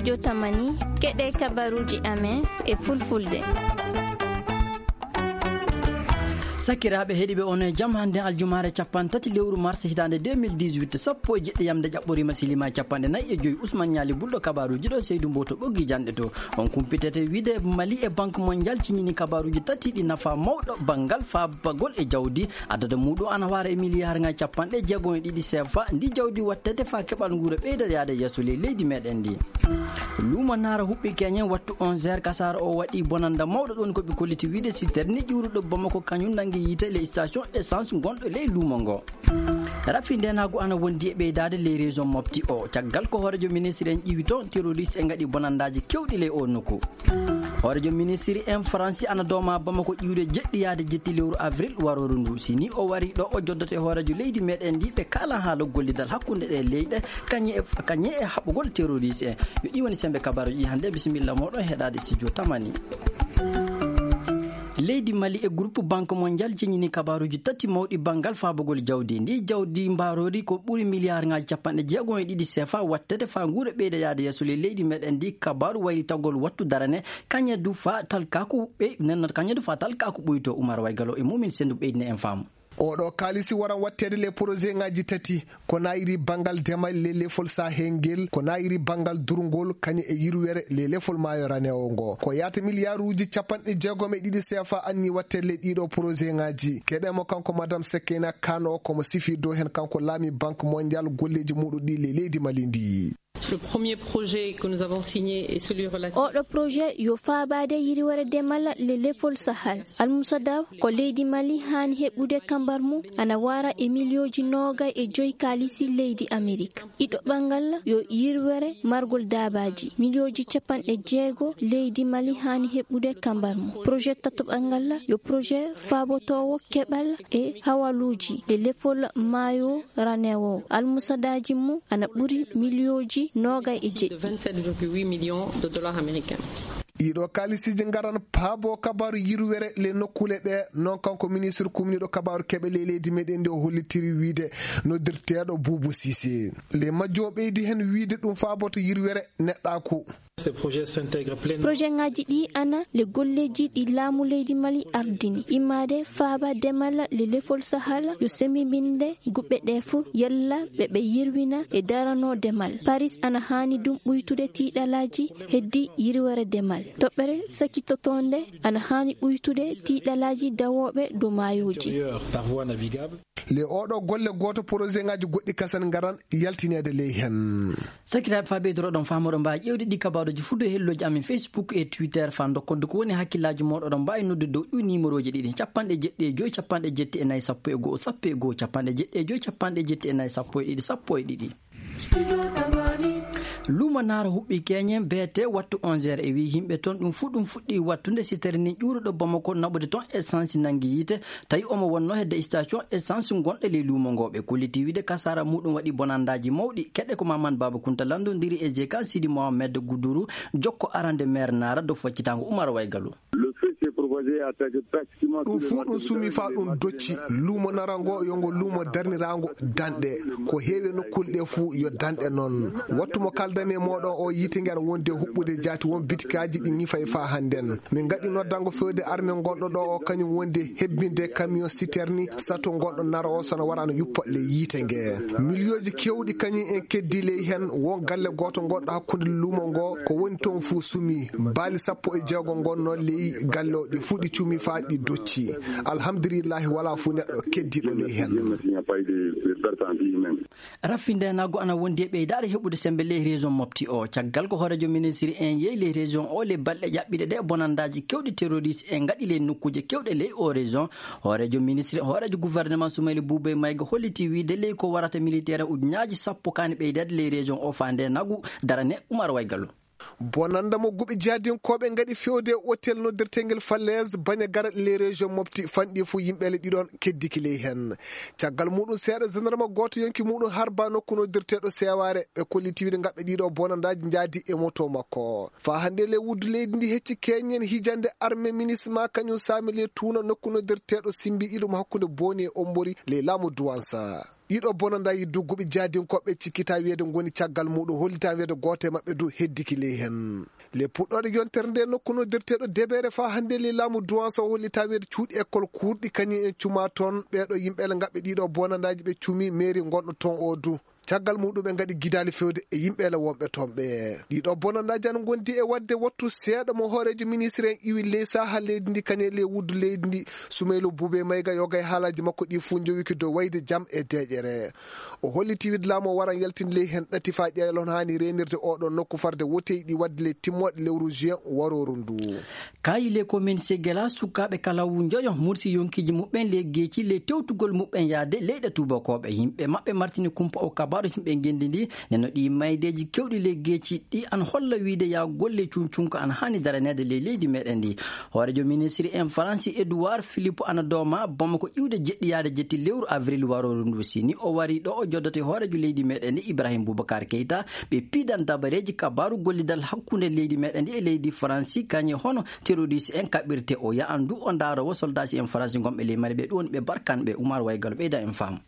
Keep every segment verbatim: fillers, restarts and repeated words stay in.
Jotamani, keɗe kabaruuji amen e fulfulde. Sakiraaɓe heɗiiɓe, on e jam. Hannde aljumaare capanɗe tati lewru mars hitaande deux mille dix-huit, sappo e jeɗɗi yamde ƴaɓɓoriima, silima e capanɗe nayi e joyi. Usman Ñaali Bulɗo, kabaruuji ɗo, Seydu Mboto ɓoggi janɗe to. On kumpitete wiide Mali e Banque Mondiale ciñini kabaruuji tati ɗi nafa mawɗo banngal faabagol e jawdi. Adada muɗum ana wara e miliyaar ŋaaji capanɗe jeegom e ɗiɗi sefa. Ndi jawdi wattete faa keɓal nguura ɓeyda yaade yeeso ley leydi meɗen ndi. Luumo Naara huɓɓi keñen wattu onze heures, kasaara o waɗi bonannda mawɗo ɗon ko ɓe kolliti wiide siterni ƴuuruɗo Bamako kañum nanngi yiite ley station essence gonɗo ley luumo ngo. Rafi ndenaagu ana wondi e ɓeydaade ley région Mopti o, caggal ko hooreejo ministre en ƴiwi toon terroriste en ngaɗi bonanndaaji kewɗi ley o nokku. Hooreejo ministre en Faransi ana dooma Bamako ƴiwde jeɗɗi yaade jetti lewru avril warooru ndu. Si ni o wari ɗo, o joddoto e hooreejo leydi meɗen ndi, ɓe kaala haala gollidal hakkunde ɗe leyɗe, kañe e, kañe e haɓugol terroriste en. Yo ɗi woni sembe kabaruji hannde. Bisimilla moɗon heɗaade studio Tamani. Leydi Mali e groupe Banque Mondiale ceñini kabaruji tati mawɗi banngal faabugol jawdi. Ndi jawdi mbarori ko ɓuri miliyaar ŋaaji capanɗe jeegom e ɗiɗi sefa wattete faa nguura ɓeyda yaade yeeso ley leydi meɗen ndi. Kabaru waylitagol wattu darane kañe du faa talkaku ɓe, nenno kañe du faa talkaku ɓuyto. Umar Waygalo e Mumin Sendu ɓeydine en faamu. Oɗo kaalisi waran watteede le projet ŋaaji tati, ko naayiri banngal demal le lefol Sahel ngel, ko naayiri banngal durngol, kañe e yirwere le lefol maayo ranewo ngo. Ko yaata miliyaaruuji capanɗe jeegom e ɗiɗi sefa anni watteede le ɗiɗo projet ŋaaji. Keɗemo kanko Madame Sekena Kano, komo sifi dow hen kanko laami Banque Mondiale golleeji muɗum ɗi le leydi Mali ndi. Le premier projet que nous avons signé est celui relatif Oɗo projet yo faabaade yirwere demal le lefol Sahel. Almusada ko leydi Mali haani heɓude kambar mum ana wara e miliyooji noogay e joyi kaalisi leydi Amerik. Ɗiɗo ɓanngal yo yirwere margol daabaaji. Miliyooji capanɗe jeego leydi Mali haani heɓude kambar mum. Projet tato ɓanngal yo projet faabotoowo keɓal e hawaluuji le lefol maayo ranewo. Almusadaaji mum ana ɓuri miliyooji noogay e jeɗɗi. De vingt-sept virgule huit millions de dollars américains. Ɗiɗo kaalisiiji ngaran paabo kabaru yirwere le nokkuule ɗe, noon kanko ministre kumniiɗo kabaru keɓe ley leydi meɗen ndi o hollitiri wiide noddirteeɗo Buubu Sise. Le majjo o ɓeydi heen wiide ɗum faaboto yirwere neɗɗaaku. Ces projets s'intègrent pleinement. Projet ŋaaji ɗi ana le golleeji ɗi laamu leydi Mali ardini, immaade faaba demal le lefol Sahel yo semmbinde guɓɓe ɗe fof, yalla ɓe ɓe yirwina e darano demal. Paris ana haani ɗum ɓuytude tiiɗalaaji heddi yirwere demal. Toɓɓere sakitotoonde ana haani ɓuytude tiiɗalaaji dawooɓe dow maayooji. Intérieur par voie navigable. Le oɗo golle gooto, projet ŋaaji goɗɗi kasan ngaran yaltineede ley heen. Sakiraaɓe, faa ɓeydoroɗon faamude, mbaawi ƴeewde ɗi kabaruuji fuu dow hellooji amen Facebook e Twitter, faa ndokkon ko woni hakkillaaji mooɗon. Oɗon mbaawi noddude dow ɗi nimerooji ɗiɗi, capanɗe jeɗɗi e joy, capanɗe jeɗɗi e nayi, sappo e go'o, sappo e go'o, capanɗe jeɗɗi e joy, capanɗe jeɗɗi e nayi, sappo e ɗiɗi, sappo e ɗiɗi. Luumo Naara huɓɓi keñen beete wattu onze heures e wii yimɓe toon. Ɗum fuu ɗum fuɗɗi wattude siterni ƴuuruɗo Bamako naɓude toon essence nanngi yiite. Tawi omo wonnoo hedde station essence gonɗo ley luumo ngo. Ɓe kolliti wiide kasaara muɗum waɗi bonandaaji mawɗi. Keɗe ko Maman Baba Kunta lanndondiri e Zekan Sidi Mohamed Guduru, jokko arande meer Naara dow foccitaango Umar Waygalu. Le feu s'est propagé et attaqué pratiquement tous les marchés. Ɗum fuu ɗum sumi faa ɗum docci luumo Naara ngo, yo ngo luumo darniraango danɗe. Ko heewi e nokkuule ɗe fuu yo danɗe noon. Wattu mo kaaldanmi e mooɗon o, yiite nge ana wondi e huɓɓude jaati, won bitikaaji ɗi ñifay faa hannden. Min ngaɗi noddango feewde arme gonɗo ɗo o, kañum wondi e hebbinde camion citerne, sato gonɗo Naara o, so na wara ana yuppa ley yiite nge. Miliyooji keewɗi kañum en keddi ley heen. Won galle gooto gonɗo hakkunde luumo ngo, ko woni toon fuu sumi. Baali sappo e jeego ngonno ley galle o, ɗi fuu ɗi cumi faa ɗi docci. Alhamdulillahi, walaa fuu neɗɗo keddiiɗo ley heen. Rafi ndeenaagu ana wondi e ɓeydaade heɓude semmbe ley région Mopti o. Caggal ko hooreejo ministre en yehi ley région o ley balɗe ƴaɓɓiiɗe ɗe, bonandaaji keewɗi terroriste en ngaɗi ley nokkuuje keewɗe ley o région. Hooreejo ministre, hooreejo gouvernement Soumaïla Boubèye Maïga holliti wiide ley ko warata militaire ujunnaaji sappo kaani ɓeydeede ley région o faa ndeenaagu darane. Umar Waygalu. Bonannda mo guɓe jihadinkooɓe ngaɗi feewde e otel noddirteengel Falaise Bandiagara ley région Mopti fanɗi fuu, yimɓe le ɗiɗon keddiki ley heen. Caggal muɗum seeɗa, gendarme gooto yonki muɗum harba nokku noddirteeɗo Seewaare. Ɓe kolliti wiide ngaɓɓe ɗiɗo bonandaaji njaadi e moto makko. Faa hannde le wuddu leydi ndi hecci keñen hijande arme MINUSMA kañum saami le tuuna nokku noddirteeɗo Simbi Ilum hakkunde Booni e Ombori ley laamu Duwansa. Ɗiɗo bonandaaji dugguɓe jaadinkooɓe cikkitaa wiyeede ngoni caggal muuɗum, hollitaa wiyeede gooto e maɓɓe du heddiki ley heen. Le puɗɗooɗe yontere nde nokku noddirteeɗo Debeere faa hannde le laamu Duwansa o hollitaa wiyeede cuuɗi ekkol kuurɗi kañum en cumaa toon. Ɓeeɗo yimɓe le ngaɓɓe ɗiɗo bonandaaji ɓe cumi meeri ngonɗo toon o du. Caggal muuɗum ɓe ngaɗi gidaali fewde e yimɓe le wonɓe toon ɓe. Ɗiɗo bonandaaji ana ngondi e waɗde wattu seeɗa mo hooreejo ministre en iwi ley saha leydi ndi kañum e le wuddu leydi ndi. Sumaylu Buube Mayga yoga e haalaaji makko ɗi fuu njowiki dow wayde jam e deeƴere. O holliti wiide laamu o waran yaltinde ley heen ɗati faa ƴeewa hono haani reenirde oɗo nokku farde woteeji ɗi waɗde ley timmooɗe lewru juin warooru ndu. Kaayi le commune Segela, sukaaɓe kala wu njoyo mursi yonkiiji muɓɓen ley geeci ley tewtugol muɓɓen yaade leyɗe tuubakooɓe. Yimɓe maɓɓe martini kumpa o kabaaru yimɓe ngenndi ndi, neno ɗi maydeeji kewɗi ley geeci ɗi ana holla wiide ya golle cuncunka ana haani daraneede ley leydi meɗen ndi. Hooreejo ministri en Faransi Edouard Philippe ana dooma Bamako iwde jeɗɗi yaade jetti lewru avril warooru ndu. Si ni o wari ɗo, o joddoto e hooreejo leydi meɗen ndi Ibrahim Boubacar Keita, ɓe piidan dabareeji kabaaru gollidal hakkunde leydi meɗen ndi e leydi Faransi, kañe hono terroriste en kaɓirte. O yahan du o ndaaroowo soldaasi en Faransi gonɓe ley Mali ɓe, ɗum woni ɓe barkan ɓe. Umar Waygalo ɓeyda en faam.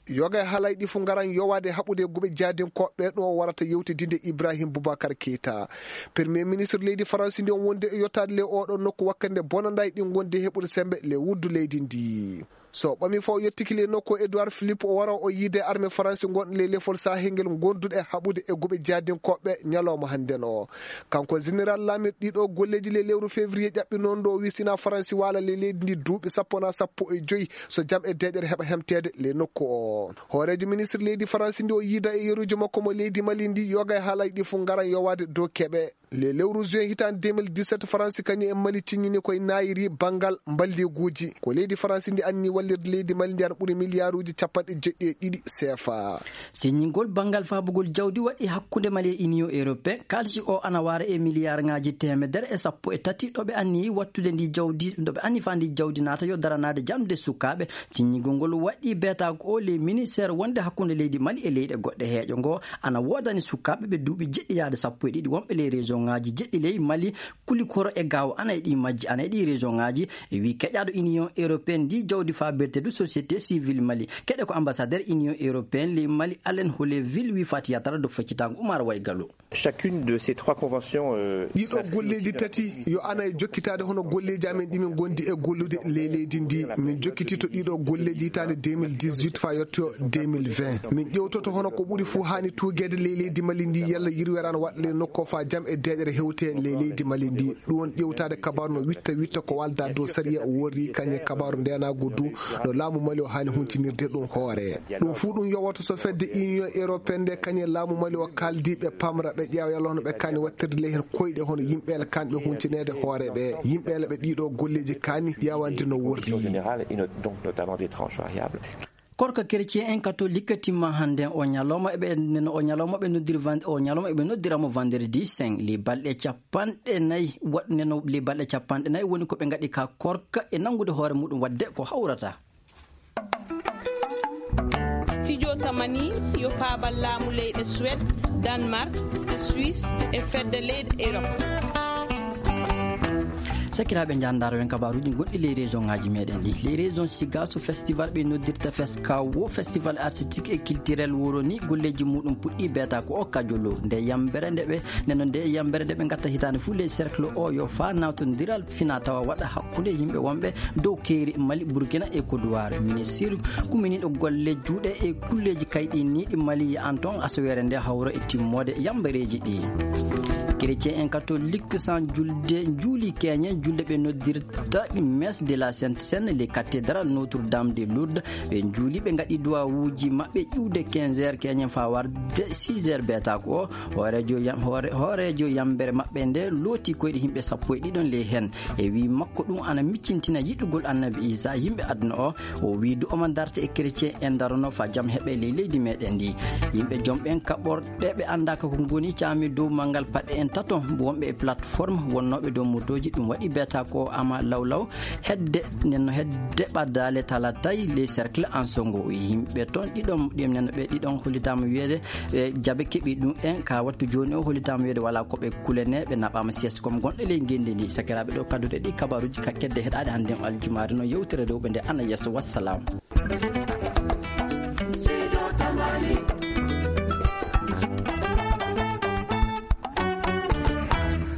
Yoga e haalaaji ɗi fuu ngaran yowaade haɓude e guɓe jaadinkooɓe ɗo o warata yewtidinde Ibrahim Boubacar Keita. Premier ministre leydi Faransi ndi on wonde e yottaade le oɗo nokku wakkande bonandaaji ɗi ngondi e heɓude sembe le wuddu leydi ndi. So o ɓami fo o yettiki le nokku Edouard Philippe o wara o yiide arme Faransi ngon le lefol sahel ngel gonduɗe haɓude e guɓe jaadinkooɓe ñalawma hannden o. Kanko général laamiiɗo ɗiɗo golleeji le lewru février ƴaɓɓi noon ɗo o wisina Faransi waala le leydi ndi duuɓi sappo na sappo e joyi so jam e deeƴere heɓa hemteede le nokku o. Hooreejo ministre leydi Faransi ndi o yiida e yeruuji makko mo leydi Mali ndi yoga e haalaaji ɗi fuu ngaran yowaade dow keɓe. Le lewru juin hitaande deux mille dix-sept Faransi kañum e Mali ciññini koye naayiri banngal mballiiguuji. Ko leydi Faransi ndi anni wallirde leydi Mali ndi ana ɓuri miliyaaruuji capanɗe jeɗɗi e ɗiɗi seefa. Siññingol banngal faabugol jawdi waɗi hakkunde Mali e Union Européen. Kaalisi o ana waara e miliyaarŋaaji teemedere e sappo e tati ɗo ɓe anniyi wattude ndi jawdi, ɗo ɓe anni faa ndi jawdi naata yo daranaade jamde sukaaɓe. Siññingol ngol waɗi beetaago o ley ministère wonde hakkunde leydi Mali e leyɗe goɗɗe. Heeƴo ngo ana woodani sukaaɓe ɓe duuɓi jeɗɗi yaade sappo e ɗiɗi wonɓe ley région ŋaaji jeɗɗi ley Mali, Kulikoro e Gaawo ana e ɗi majji, ana e ɗi région ŋaaji. E wi keƴaaɗo Union Européenne ndi jawdi faabirde du société civile Mali. Keɗe ko ambassadeur Union Européenne ley Mali, Alain Houleville, wi Fatiya Tara do feccitaango Umar Waygalu. Chacune de ces trois conventions, euh, Ɗiɗo golleeji tati yo ana e jokkitaade hono golleeji amen ɗi min ngondi e gollude ley leydi ndi. Min jokkitito ɗiɗo golleeji hitaande deux mille dix-huit faa yetto deux mille vingt. Min ƴewtoto hono ko ɓuri fuu haani tuugeede ley leydi Mali ndi, yalla yirweere ana waɗa ley nokku faa jam e deeƴere hewte ley leydi Mali ndi. Ɗum woni ƴewtaade kabaaru no witta witta ko walda dow sariya worri kañe kabaaru ndeenaagu du no laamu Mali o haani huntinirde ɗum hoore. Ɗum fuu ɗum yowoto so fedde Union Européenne nde kañe laamu Mali o kaaldi ɓe pamra ɓe ƴeewa yalla hono ɓe kaani wattirde ley heen koyɗe hono yimɓe ele kaanɓe huntineede hoore ɓe, yimɓe ele ɓe ɗiɗo golleeji kaani ƴeewande no worri. Générale et not-, donc notamment des tranches variables. Korka chrétien en catholique timma hannden o ñalawma eɓe, o ñalawma ɓe noddiri van-, o ñalawma eɓe noddira mo vendredi saint. Li balɗe capanɗe nayi waɗ-, neno li balɗe capanɗe nayi woni ko ɓe ngaɗi ka korka e nanngude hoore muɗum waɗde ko hawrata. Studio Tamani yo paabal laamu leyɗe Suède, Danemark, Suisse e fedde leyɗe Europe. Sakiraaɓe, njaandaaro en kabaaruuji gonɗi ley région ŋaaji meɗen ɗi. Ley région Siga so festival ɓe noddirta Fesca wo festival artistique et culturel wuro ni golleeji muɗum puɗɗi beeta ko o kajolo. Nde yambere nde ɓe, nde no nde yambere nde ɓe ngatta hitaande fuu ley cercle o yo faa nawtondiral fina tawa waɗa hakkunde yimɓe wonɓe dow keeri Mali, Burkina e Côte d'Ivoire. Ministre kuminiiɗo golle juuɗe e kulleeji kayɗiniiɗi Mali ya'an toon asaweere nde hawro e timmoode yambareeji ɗi. Chrétien en catholique san julde njuuli keñe julde ɓe noddirta messe de la Sainte Seine le cathédrale Notre Dame de Lourdes. Ɓe njuuli ɓe ngaɗi duwawuuji maɓɓe ƴuwde quinze heures keñen faa warde six heures beetaako o. Hooreejo yam-, hoore-, hooreejo yambere maɓɓe nde looti koyɗe yimɓe sappo e ɗiɗon ley heen. E wii makko ɗum ana miccintina yiɗugol Annabi Iisaa yimɓe aduna o. O wii du omo darta e chrétien en darono faa jam heɓe ley leydi meɗen ndi. Yimɓe jom ɓen kaɓorɗe ɓe anndaaka ko ngoni caami dow manngal paɗe en tato wonɓe e plateforme wonnooɓe dow motooji ɗum waɗi beeta ko ama lawlaw hedde nden no hedde ɓaddaale talatay ley cercle Ansongo. Yimɓe toon ɗiɗon ɗum nen ɓe ɗiɗon hollitaama wiyeede ɓe jaɓe keɓi ɗum en ka wattu jooni o hollitaama wiyeede wala ko ɓe kulene ɓe naɓaama sieste comme gonɗo ley ngenndi ndi. Sakiraaɓe ɗo kadduɗe ɗi kabaruuji ka kedde heɗaade hannde o aljumaare no yewtere rewɓe nde ana yeeso. Wassalam.